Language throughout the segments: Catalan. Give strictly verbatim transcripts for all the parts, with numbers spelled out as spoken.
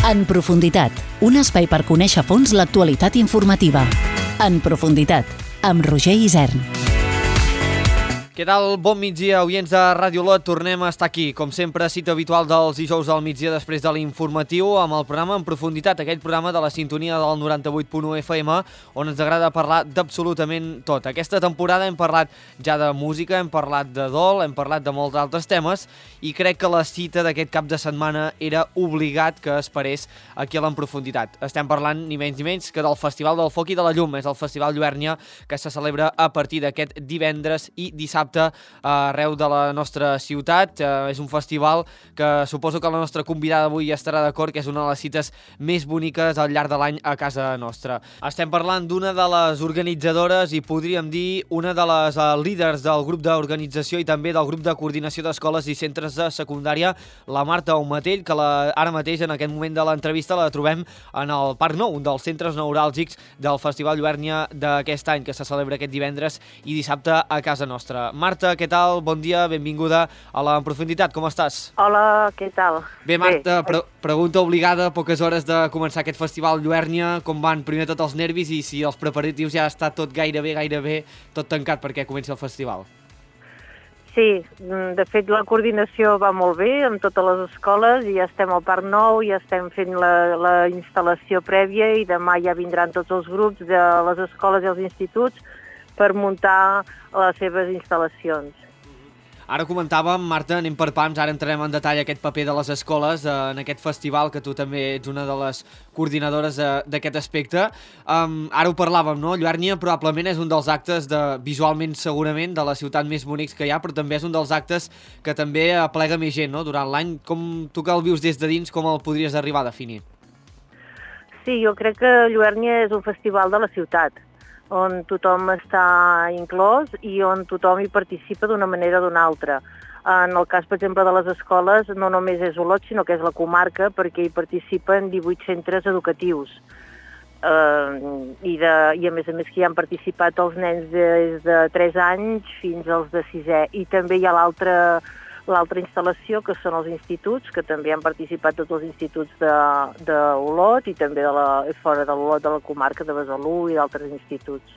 En profunditat, un espai per conèixer a fons l'actualitat informativa. En profunditat, amb Roger Isern. Què tal? Bon migdia, oients de Ràdio Olot. Tornem a estar aquí, com sempre, cita habitual dels dijous al migdia després de l'informatiu, amb el programa En profunditat, aquell programa de la sintonia del noranta-vuit punt u F M, on ens agrada parlar d'absolutament tot. Aquesta temporada hem parlat ja de música, hem parlat de dol, hem parlat de molts altres temes, i crec que la cita d'aquest cap de setmana era obligat que esperés aquí a l'En profunditat. Estem parlant ni menys ni menys que del Festival del Foc i de la Llum. És el Festival Lluèrnia, que se celebra a partir d'aquest divendres i dissabte arreu de la nostra ciutat. Eh, és un festival que suposo que la nostra convidada avui estarà d'acord que és una de les cites més boniques al llarg de l'any a casa nostra. Estem parlant d'una de les organitzadores i podríem dir una de les uh, líders del grup d'organització i també del grup de coordinació d'escoles i centres de secundària, la Marta Aumatell, que la, ara mateix en aquest moment de l'entrevista la trobem en el Parc Nou, un dels centres neuràlgics del Festival Lluèrnia d'aquest any, que se celebra aquest divendres i dissabte a casa nostra. Marta, què tal? Bon dia, benvinguda a la En profunditat, com estàs? Hola, què tal? Bé, Marta, pre pregunta obligada, poques hores de començar aquest festival Lluèrnia, com van primer tot els nervis i si els preparatius ja està tot gairebé, gairebé tot tancat perquè comenci el festival? Sí, de fet la coordinació va molt bé amb totes les escoles i ja estem al Parc Nou, ja estem fent la, la instal·lació prèvia i demà ja vindran tots els grups de les escoles i els instituts per muntar les seves instal·lacions. Ara comentàvem, Marta, anem per pams, ara entrarem en detall aquest paper de les escoles eh, en aquest festival, que tu també ets una de les coordinadores eh, d'aquest aspecte. Um, ara ho parlàvem, no? Lluèrnia probablement és un dels actes, de, visualment segurament, de la ciutat més bonics que hi ha, però també és un dels actes que també aplega més gent, no?, durant l'any. Com tu que el vius des de dins, com el podries arribar a definir? Sí, jo crec que Lluèrnia és un festival de la ciutat, on tothom està inclòs i on tothom hi participa d'una manera o d'una altra. En el cas, per exemple, de les escoles, no només és Olot, sinó que és la comarca, perquè hi participen divuit centres educatius. Uh, i, de, I a més a més que hi han participat els nens des de tres anys fins als de sisè. I també hi ha l'altra l'altra instal·lació, que són els instituts, que també han participat tots els instituts d'Olot i també de la, fora de l'Olot, de la comarca de Besalú i d'altres instituts.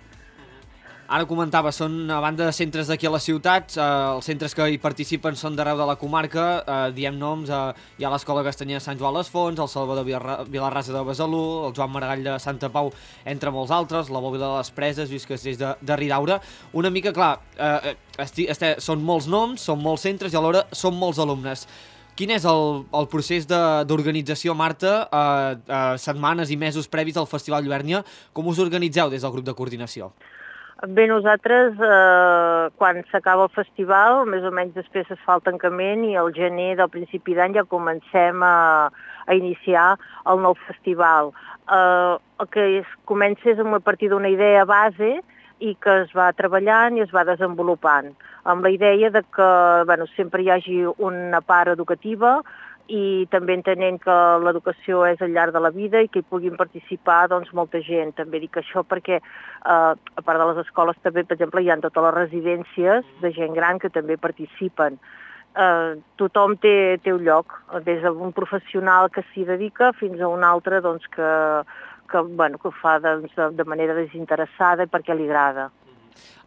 Ara comentava, són a banda de centres d'aquí a la ciutat, eh, els centres que hi participen són d'arreu de la comarca, eh, diem noms, eh, hi ha l'Escola Castanyera de Sant Joan les Fonts, el Salvador Vilarrasa de Besalú, el Joan Maragall de Santa Pau, entre molts altres, la Bòbila de les Preses, Lluís Castells de, de Ridaura. Una mica, clar, eh, esti, este, són molts noms, són molts centres i alhora són molts alumnes. Quin és el, el procés d'organització, Marta, eh, eh, setmanes i mesos previs al Festival Lluèrnia? Com us organitzeu des del grup de coordinació? Bé, nosaltres, eh, quan s'acaba el festival, més o menys després es fa el tancament i al gener del principi d'any ja comencem a, a iniciar el nou festival. Eh, el que es comença és a partir d'una idea base i que es va treballant i es va desenvolupant, amb la idea de que bueno, sempre hi hagi una part educativa i també entenent que l'educació és al llarg de la vida i que hi puguin participar doncs, molta gent. També dic això perquè, eh, a part de les escoles, també, per exemple, hi ha totes les residències de gent gran que també participen. Eh, tothom té, té un lloc, des d'un professional que s'hi dedica fins a un altre doncs, que, que, bueno, que ho fa doncs, de, de manera desinteressada i perquè li agrada.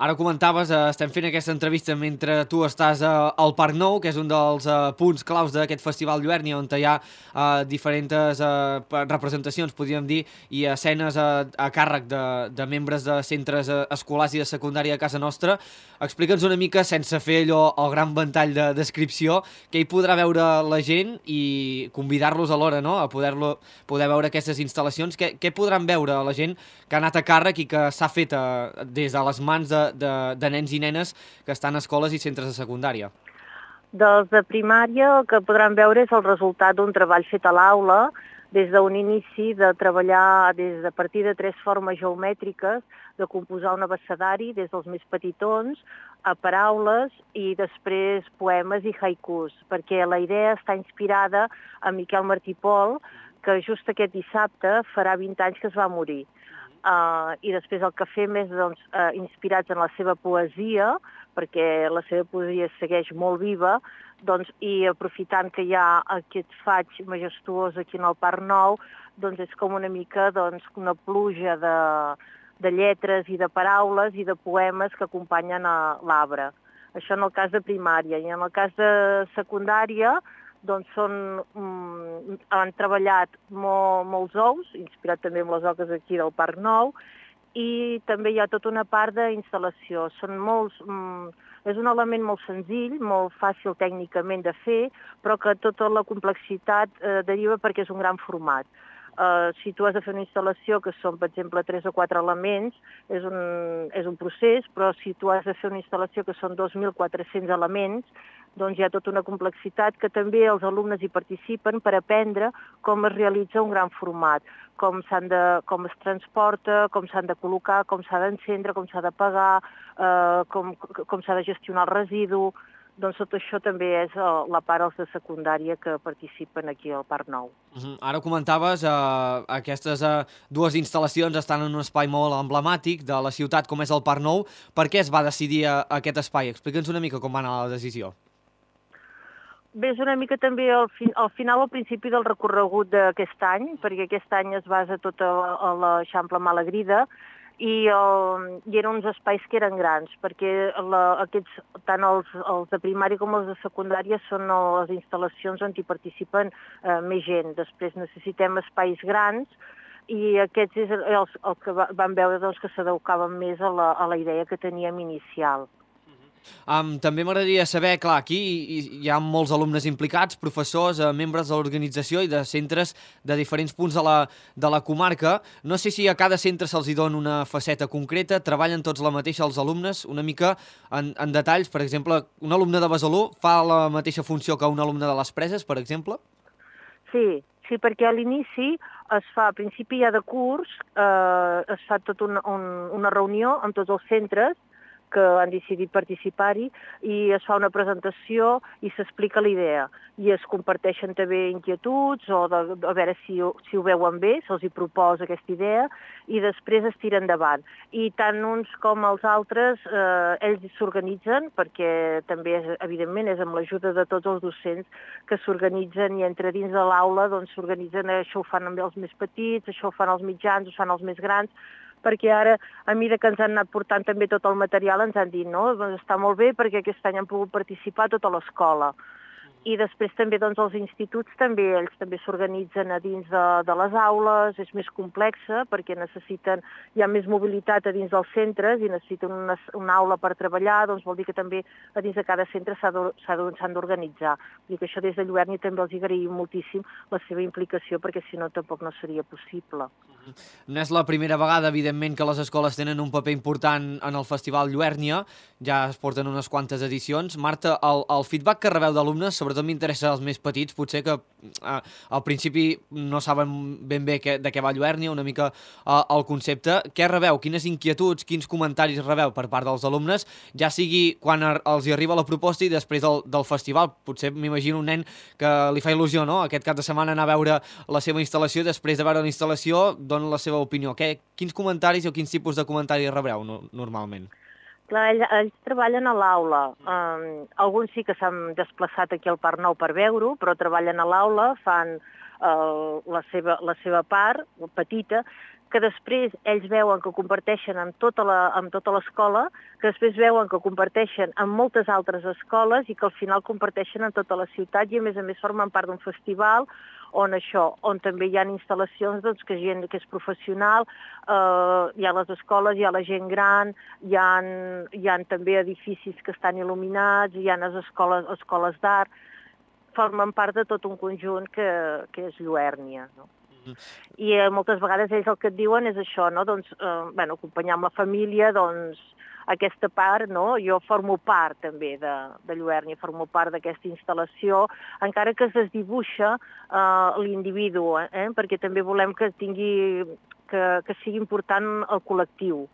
Ara comentaves, eh, estem fent aquesta entrevista mentre tu estàs eh, al Parc Nou, que és un dels eh, punts claus d'aquest Festival Lluèrnia, on hi ha eh, diferents eh, representacions, podríem dir, i escenes a, a càrrec de, de membres de centres eh, escolars i de secundària a casa nostra. Explica'ns una mica, sense fer allò el gran ventall de descripció, què hi podrà veure la gent i convidar-los alhora, no?, a poder, poder veure aquestes instal·lacions. Què, què podran veure la gent que ha anat a càrrec i que s'ha fet eh, des de les mans de, de, de nens i nenes que estan a escoles i centres de secundària? Dels de primària el que podran veure és el resultat d'un treball fet a l'aula, des d'un inici de treballar des de a partir de tres formes geomètriques, de composar un abecedari des dels més petitons a paraules i després poemes i haikus, perquè la idea està inspirada en Miquel Martí Pol, que just aquest dissabte farà vint anys que es va morir. Uh, I després el que fem és doncs, uh, inspirats en la seva poesia, perquè la seva poesia segueix molt viva, doncs, i aprofitant que hi ha aquest faig majestuós aquí en el Parc Nou, doncs és com una mica doncs, una pluja de, de lletres i de paraules i de poemes que acompanyen a l'arbre. Això en el cas de primària. I en el cas de secundària, doncs són, mm, han treballat molt, molts ous, inspirat també amb les oques aquí del Parc Nou, i també hi ha tota una part d'instal·lació. Són molts... Mm, és un element molt senzill, molt fàcil tècnicament de fer, però que tota la complexitat eh, deriva perquè és un gran format. Uh, si tu has de fer una instal·lació que són, per exemple, tres o quatre elements, és un, és un procés, però si tu has de fer una instal·lació que són dos mil quatre-cents elements, doncs hi ha tota una complexitat que també els alumnes hi participen per aprendre com es realitza un gran format, com, s'han de, com es transporta, com s'han de col·locar, com s'ha d'encendre, com s'ha d'apagar, uh, com, com s'ha de gestionar el residu. Doncs tot això també és la part dels de secundària que participen aquí al Parc Nou. Uh-huh. Ara comentaves, eh, aquestes eh, dues instal·lacions estan en un espai molt emblemàtic de la ciutat com és el Parc Nou. Per què es va decidir eh, aquest espai? Explica'ns una mica com va anar la decisió. Bé, és una mica també al, fi, al final, al principi del recorregut d'aquest any, perquè aquest any es basa tot a, a l'Eixample Malagrida, i, el, i eren uns espais que eren grans, perquè la, aquests, tant els, els de primària com els de secundària són les instal·lacions on hi participen eh, més gent. Després necessitem espais grans i aquests és els, el que va, vam veure doncs, que s'adequaven més a la, a la idea que teníem inicial. Um, també m'agradaria saber, clar, aquí hi, hi ha molts alumnes implicats, professors, eh, membres de l'organització i de centres de diferents punts de la, de la comarca. No sé si a cada centre se'ls hi dona una faceta concreta, treballen tots la mateixa els alumnes, una mica en, en detalls. Per exemple, un alumne de Besalú fa la mateixa funció que un alumne de les Preses, per exemple? Sí, sí, perquè a l'inici es fa, a principi ja de curs, eh, es fa tota una, un, una reunió amb tots els centres que han decidit participar-hi i es fa una presentació i s'explica la idea. I es comparteixen també inquietuds o de, de, a veure si, si ho veuen bé, se'ls hi proposa aquesta idea i després es tira endavant. I tant uns com els altres, eh, ells s'organitzen perquè també, és, evidentment, és amb l'ajuda de tots els docents que s'organitzen i entre dins de l'aula doncs s'organitzen, això ho fan amb els més petits, això ho fan els mitjans, ho fan els més grans, perquè ara, a mesura que ens han anat portant també tot el material, ens han dit, no, doncs està molt bé perquè aquest any han pogut participar tota l'escola. I després també doncs, els instituts també, ells també s'organitzen a dins de, de les aules, és més complexa perquè necessiten, hi ha més mobilitat a dins dels centres i necessiten una, una aula per treballar, doncs vol dir que també a dins de cada centre s'han d'organitzar. Vull dir que això des de Lluernia també els agraïm moltíssim la seva implicació perquè si no tampoc no seria possible. No és la primera vegada, evidentment, que les escoles tenen un paper important en el Festival Lluernia, ja es porten unes quantes edicions. Marta, el, el feedback que rebeu d'alumnes, sobretot m'interessa els més petits, potser que eh, al principi no saben ben bé que, de què va Lluernia, una mica eh, el concepte. Què rebeu? Quines inquietuds, quins comentaris rebeu per part dels alumnes, ja sigui quan els hi arriba la proposta i després del, del festival? Potser m'imagino un nen que li fa il·lusió, no?, aquest cap de setmana anar a veure la seva instal·lació i després de veure la instal·lació dona la seva opinió. Què, quins comentaris o quins tipus de comentaris rebreu no, normalment? Clar, ells, ells treballen a l'aula. Um, alguns sí que s'han desplaçat aquí al Parc Nou per veure-ho, però treballen a l'aula, fan uh, la, seva, la seva part, petita, que després ells veuen que comparteixen amb tota la, amb tota l'escola, que després veuen que comparteixen amb moltes altres escoles i que al final comparteixen en tota la ciutat i a més a més formen part d'un festival on això, on també hi ha instal·lacions doncs, que gent que és professional, eh, hi ha les escoles, hi ha la gent gran, hi ha, hi ha també edificis que estan il·luminats, hi ha les escoles, escoles d'art, formen part de tot un conjunt que, que és Lluernia, no? I eh, moltes vegades ells el que et diuen és això, no? Doncs, eh, bueno, acompanyar amb la família, doncs, aquesta part, no? Jo formo part també de, de Lluernia, formo part d'aquesta instal·lació, encara que es desdibuixa eh, l'individu, eh? Perquè també volem que tingui, que, que sigui important el col·lectiu.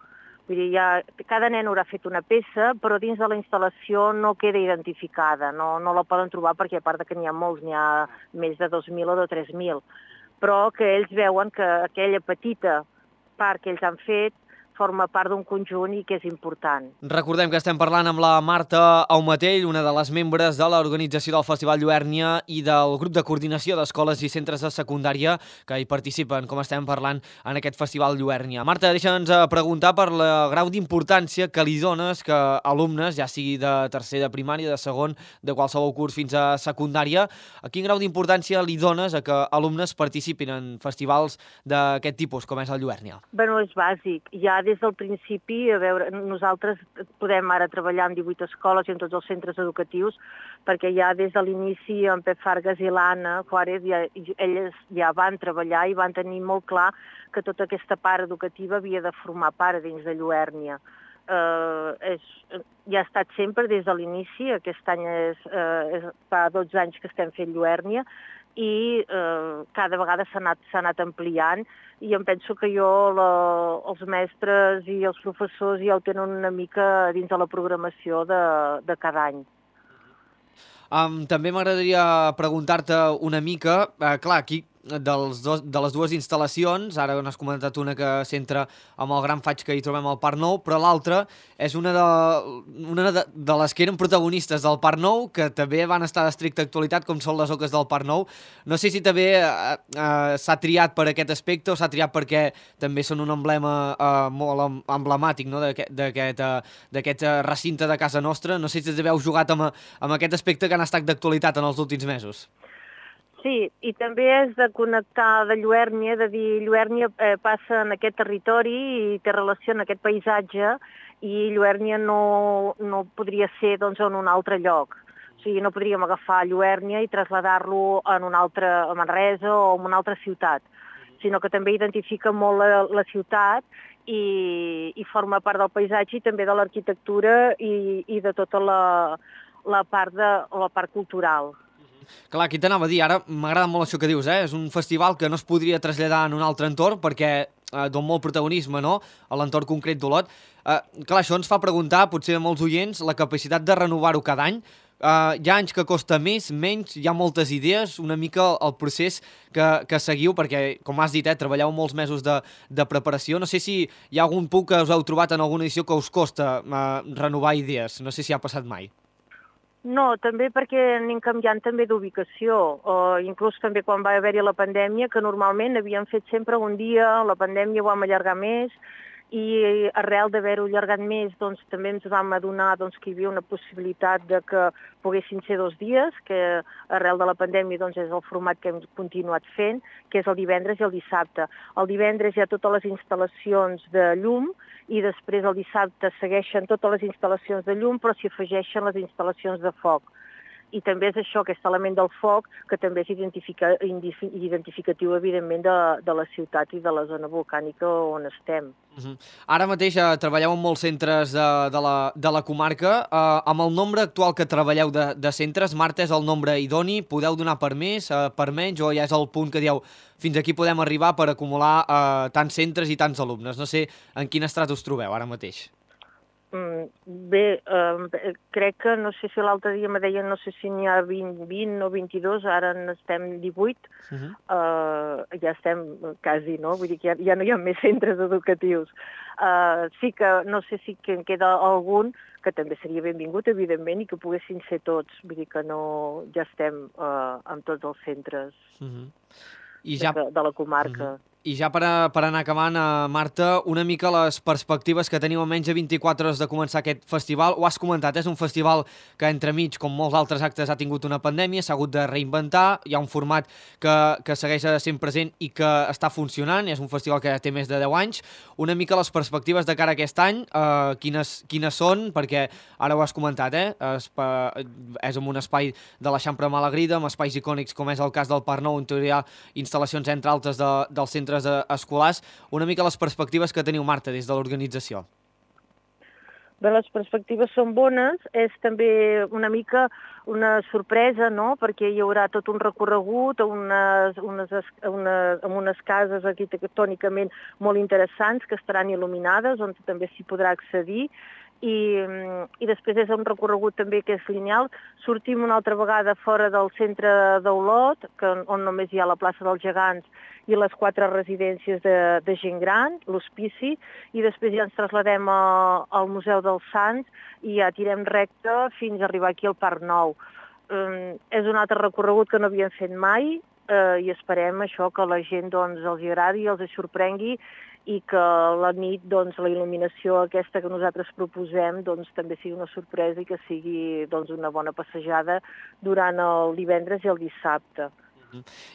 Vull dir, ja, cada nen haurà fet una peça, però dins de la instal·lació no queda identificada, no, no la poden trobar perquè a part que n'hi ha molts, n'hi ha més de dos mil o de tres mil, però que ells veuen que aquella petita part que ells han fet forma part d'un conjunt i que és important. Recordem que estem parlant amb la Marta Aumatell, una de les membres de l'organització del Festival Lluèrnia i del grup de coordinació d'escoles i centres de secundària que hi participen, com estem parlant en aquest Festival Lluèrnia. Marta, deixa'ns preguntar per la grau d'importància que li dones que alumnes, ja sigui de tercer de primària, de segon, de qualsevol curs fins a secundària, a quin grau d'importància li dones a que alumnes participin en festivals d'aquest tipus, com és el Lluèrnia? Bé, és bàsic. Ja des del principi, a veure, nosaltres podem ara treballar en divuit escoles i en tots els centres educatius, perquè ja des de l'inici en Pep Fargas i l'Anna Juárez, ja, elles ja van treballar i van tenir molt clar que tota aquesta part educativa havia de formar part dins de Lluèrnia. Uh, és, ja ha estat sempre des de l'inici, aquest any és, uh, és, fa dotze anys que estem fent Lluèrnia, i eh, cada vegada s'ha anat, s'ha anat ampliant i em penso que jo, la, els mestres i els professors ja ho tenen una mica dins de la programació de, de cada any. Um, també m'agradaria preguntar-te una mica, uh, clar, aquí dels dos, de les dues instal·lacions, ara n'has comentat una que centra amb el gran faig que hi trobem al Parc Nou, però l'altra és una, de, una de, de les que eren protagonistes del Parc Nou, que també van estar d'estricta actualitat, com són les oques del Parc Nou. No sé si també eh, eh, s'ha triat per aquest aspecte o s'ha triat perquè també són un emblema eh, molt emblemàtic, no?, d'aquest eh, recinte de casa nostra. No sé si també heu jugat amb, amb aquest aspecte que han estat d'actualitat en els últims mesos. Sí, i també és de connectar de Lluèrnia, de dir Lluèrnia eh, passa en aquest territori i té relació en aquest paisatge i Lluèrnia no, no podria ser doncs, en un altre lloc. O sigui, no podríem agafar Lluèrnia i traslladar-lo en un altre, a Manresa o en una altra ciutat, sinó que també identifica molt la, la ciutat i, i forma part del paisatge i també de l'arquitectura i, i de tota la, la, part de, la part cultural. Clar, aquí t'anava a dir, ara m'agrada molt això que dius, eh? És un festival que no es podria traslladar en un altre entorn perquè eh, dona molt protagonisme, no?, a l'entorn concret d'Olot. Eh, clar, això ens fa preguntar, potser a molts oients, la capacitat de renovar-ho cada any. Uh, hi ha anys que costa més, menys, hi ha moltes idees, una mica el procés que, que seguiu, perquè, com has dit, eh, treballeu molts mesos de, de preparació. No sé si hi ha algun punt que us heu trobat en alguna edició que us costa uh, renovar idees, no sé si ha passat mai. No, també perquè anem canviant també d'ubicació, uh, inclús també quan va haver-hi la pandèmia, que normalment havíem fet sempre un dia, la pandèmia ho vam allargar més, i arrel d'haver-ho allargat més doncs, també ens vam adonar doncs, que hi havia una possibilitat de que poguessin ser dos dies, que arrel de la pandèmia doncs, és el format que hem continuat fent, que és el divendres i el dissabte. El divendres hi ha totes les instal·lacions de llum i després el dissabte segueixen totes les instal·lacions de llum, però s'hi afegeixen les instal·lacions de foc. I també és això, aquest element del foc, que també és identifica, identificatiu, evidentment, de, de la ciutat i de la zona volcànica on estem. Uh-huh. Ara mateix eh, treballeu en molts centres de, de, la, de la comarca. Eh, amb el nombre actual que treballeu de, de centres, Marta, és el nombre idoni? Podeu donar per més, eh, per menys, o ja és el punt que dieu fins aquí podem arribar per acumular eh, tants centres i tants alumnes? No sé en quin estrat us trobeu ara mateix. Mm, bé, eh, crec que, no sé si l'altre dia me deien, no sé si n'hi ha vint, vint o vint-i-dos, ara n'estem divuit, uh-huh. eh, ja estem quasi, no? Vull dir que ja, ja no hi ha més centres educatius. Eh, sí que, no sé si que en queda algun, que també seria benvingut, evidentment, i que poguessin ser tots, vull dir que no, ja estem eh, amb tots els centres uh-huh. I ja... de, de la comarca. Uh-huh. I ja per, a, per anar acabant, uh, Marta, una mica les perspectives que teniu a menys de vint-i-quatre hores de començar aquest festival. Ho has comentat, és un festival que entremig, com molts altres actes, ha tingut una pandèmia, s'ha hagut de reinventar, hi ha un format que, que segueix sent present i que està funcionant, és un festival que té més de deu anys. Una mica les perspectives de cara a aquest any, uh, quines, quines són, perquè ara ho has comentat, eh? Espa, és en un espai de l'Eixample Malagrida, amb espais icònics com és el cas del Parc Nou, on hi ha instal·lacions entre altres de, del centre escolars. Una mica les perspectives que teniu, Marta, des de l'organització. Bé, les perspectives són bones, és també una mica una sorpresa, no?, perquè hi haurà tot un recorregut a unes, unes, unes, amb unes cases arquitectònicament molt interessants que estaran il·luminades, on també s'hi podrà accedir, i, i després és un recorregut també que és lineal. Sortim una altra vegada fora del centre d'Olot, que, on només hi ha la plaça dels Gegants i les quatre residències de, de gent gran, l'hospici, i després ja ens trasladem a, al Museu dels Sants i ja tirem recte fins a arribar aquí al Parc Nou. Um, és un altre recorregut que no havíem fet mai uh, i esperem això que la gent doncs, els agradi, els sorprengui i que la nit, doncs, la il·luminació aquesta que nosaltres proposem doncs, també sigui una sorpresa i que sigui doncs, una bona passejada durant el divendres i el dissabte.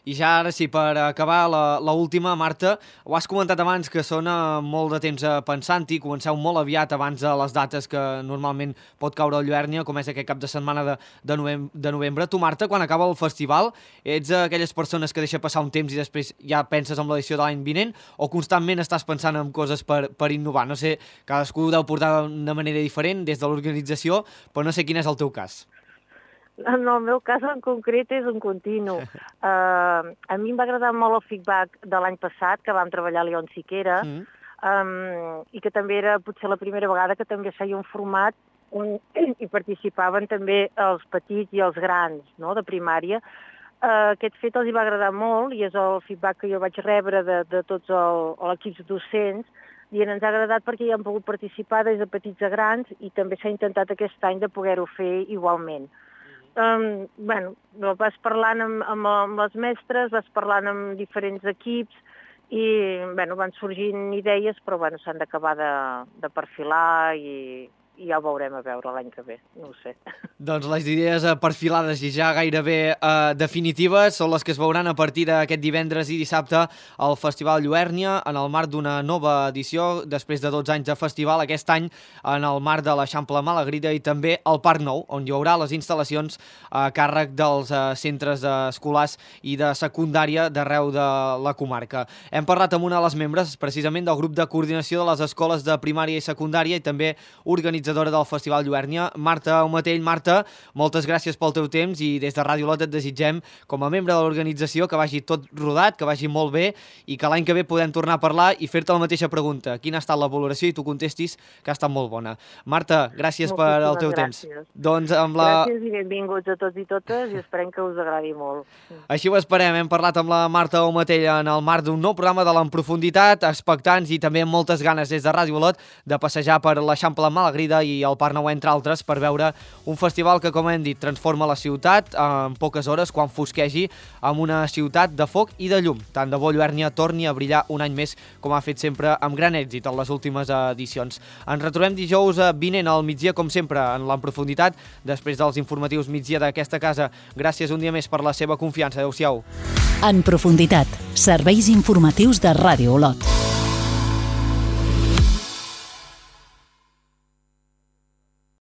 I ja ara sí, per acabar l'última, Marta, ho has comentat abans que són molt de temps pensant-hi, comenceu molt aviat abans de les dates que normalment pot caure a Lluèrnia, com és aquest cap de setmana de, de, novembre, de novembre. Tu, Marta, quan acaba el festival, ets aquelles persones que deixa passar un temps i després ja penses en l'edició de l'any vinent o constantment estàs pensant en coses per, per innovar? No sé, cadascú ho deu portar d'una manera diferent des de l'organització, però no sé quin és el teu cas. En el meu cas en concret és un continu. Uh, a mi em va agradar molt el feedback de l'any passat, que vam treballar a León Siquera, mm. um, i que també era potser la primera vegada que també feia un format on hi participaven també els petits i els grans, no?, de primària. Uh, aquest fet els hi va agradar molt i és el feedback que jo vaig rebre de, de tots l'equips docents, i ens ha agradat perquè hi han pogut participar des de petits a grans i també s'ha intentat aquest any de poder-ho fer igualment. Um, bueno, vas parlant amb, amb, amb les mestres, vas parlant amb diferents equips i bueno, van sorgint idees, però bueno, s'han d'acabar de, de perfilar i, i ja ho veurem a veure l'any que ve, no ho sé. Doncs les idees perfilades i ja gairebé eh, definitives són les que es veuran a partir d'aquest divendres i dissabte al Festival Lluèrnia en el marc d'una nova edició després de dotze anys de festival, aquest any en el marc de l'Eixample Malagrida i també al Parc Nou, on hi haurà les instal·lacions a càrrec dels eh, centres escolars i de secundària d'arreu de la comarca. Hem parlat amb una de les membres precisament del grup de coordinació de les escoles de primària i secundària i també organitzadora del Festival Lluèrnia, Marta Aumatell. Marta, moltes gràcies pel teu temps i des de Ràdio Olot et desitgem, com a membre de l'organització, que vagi tot rodat, que vagi molt bé i que l'any que ve podem tornar a parlar i fer-te la mateixa pregunta. Quina ha estat la valoració? I tu contestis que ha estat molt bona. Marta, gràcies Moltíssimes per el teu gràcies. temps. Doncs amb la... Gràcies i benvinguts a tots i totes i esperem que us agradi molt. Així ho esperem. Hem parlat amb la Marta Aumatell en el marc d'un nou programa de l'En Profunditat, expectants i també amb moltes ganes des de Ràdio Olot de passejar per l'Eixample Malagrida i el Parc Nou, entre altres, per veure un festival que, com hem dit, transforma la ciutat en poques hores quan fosquegi amb una ciutat de foc i de llum. Tant de bo Lluèrnia torni a brillar un any més, com ha fet sempre amb gran èxit en les últimes edicions. Ens retrobem dijous vinent al migdia, com sempre, en l'En Profunditat, després dels informatius migdia d'aquesta casa. Gràcies un dia més per la seva confiança. Adéu-siau. En Profunditat, serveis informatius de Ràdio Olot.